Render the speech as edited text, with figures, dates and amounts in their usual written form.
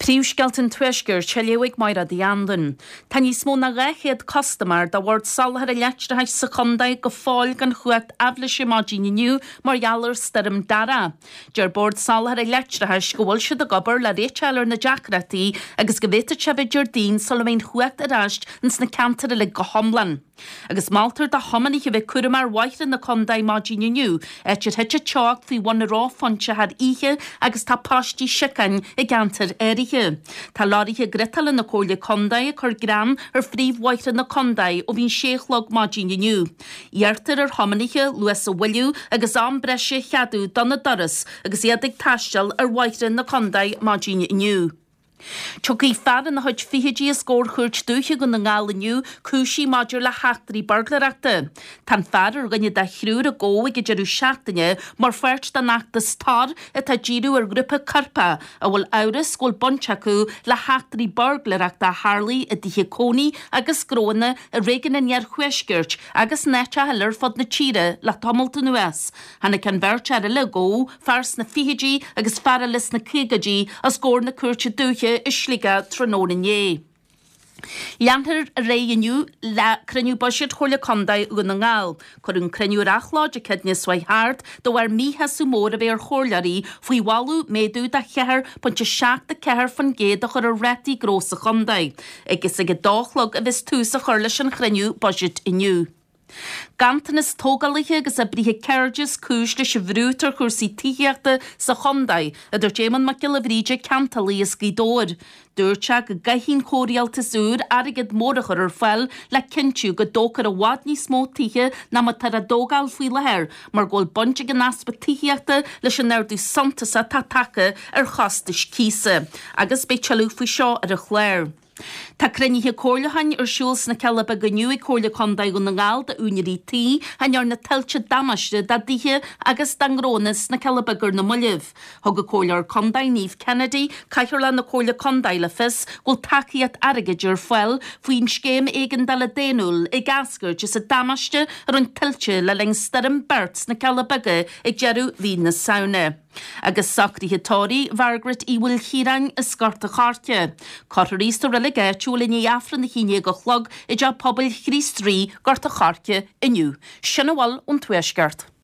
Príomhscéalta an Tuaiscirt á léamh ag Máire Uí Anluain. Tá níos mó ná 200 custaiméir do Bhord Soláthair an Leictreachais sa chontae go fóill gan chumhacht aibhléise maidin inniu mar gheall ar Stoirm Darragh. Deir Bord Soláthair an Leictreachais go bhfuil siad ag obair le réiteach a fháil ar na deacrachtaí agus go bhféadfadh sé bheith Déardaoin sula mbeidh an chumhacht ar ais ins na ceantair uilig go hiomlán. Agus moltar do thiománaithe a bheith cúramach ar bhóithre na contae maidin inniu, áit ar thit an teocht faoi bhun an reophointe thar oíche agus tá paistí siocáin i gceantair áirithe. Tá leoraithe griotála na Comhairle Contae ag cur grean ar phríomhbhóithre na contae ó bhí an sé a chlog maidin inniu. Iarrtar ar thiománaithe luas a mhoilliú agus am breise a cheadú dona dturas agus iad ag taisteal ar bhóithre na contae maidin inniu. Tiocfaidh fear ina chuid fichidí os comhair Chúirt Dúiche Dhún na nGall inniu, cúisithe maidir le heachtraí buirgléireachta. Tá an fear ar dhuine de thriúr a gabhadh ag an deireadh seachtaine mar pháirt den fheachtas Tor atá ag díriú ar ghrúpa coirpeach a bhfuil amhras go bhfuil baint acu le heachtraí buirgléireachta a tharlaigh i dtithe cónaí agus gnóanna i réigiún an Iarthuaiscirt agus in áiteacha eile ar fud na tíre le tamalt anuas. Tháinig an bheirt fhear eile a gabhadh, fear sna fichidí agus fear eile sna caogaidí, os comhair na Cúirte Dúiche i Sligeach tráthnóna inné. Leanfar ar aghaidh inniu le cruinniú buiséid Chomhairle Contae Dhún na nGall. Cuireadh an cruinniú ar athló Dé Céadaoine seo chuaigh thart de bharr míshásamh mór a bheith ar chomhairleoirí faoi mholadh méadú de 4.74% a chur ar rátaí gnó sa chontae. Agus ag a dó a chlog a bheas tús á chur leis an chruinniú buiséid inniu. Ganntanas tógálaithe agus oibrithe ceirde is cúis leis an bhrú atá ar chúrsaí tithíochta sa chontae, a dúirt Éamonn Mac Giolla Bhríde, ceantálaí as Gaoth Dobhair. Dúirt sé go gcaithfidh an comhrialtas úr airgead mór a chur ar fáil le cinntiú go dtógfar i bhfad níos mó tithe ná mar atá á dtógáil faoi láthair mar go bhfuil baint ag an easpa tithíochta leis an ardú suntasach atá tagtha ar chostais cíosa. Agus beidh tuilleadh faoi seo ar an chlár. Tá cruinnithe comhairliúcháin ar siúl sna Cealla Beaga inniu ag Comhairle Contae Dhún na nGall d'úinéirí tí a ndearna tuilte damáiste dá dtithe agus dá ngnóanna sna Cealla Beaga ar na mallaibh. Thug an Comhairleoir Contae Niamh Kennedy, Cathaoirleach na Comhairle Contae le fios go bhfuil tacaíocht airgid ar fáil faoin Scéim Éigeandála Daonnúil ag eascairt as an damáiste a rinne tuilte le linn Stoirm Bert sna Cealla Beaga ag deireadh mhí na Samhna. Agus socruithe tórraimh Mhargaret Uí Mhaoilchiaráin as Gort a' Choirce. Cuirfear í sa reilig áitiúil i ndiaidh Aifreann a 11 a chlog i dTeach Pobail Chríost Rí, Gort a' Choirce, inniu. Sin a bhfuil ón Tuaisceart.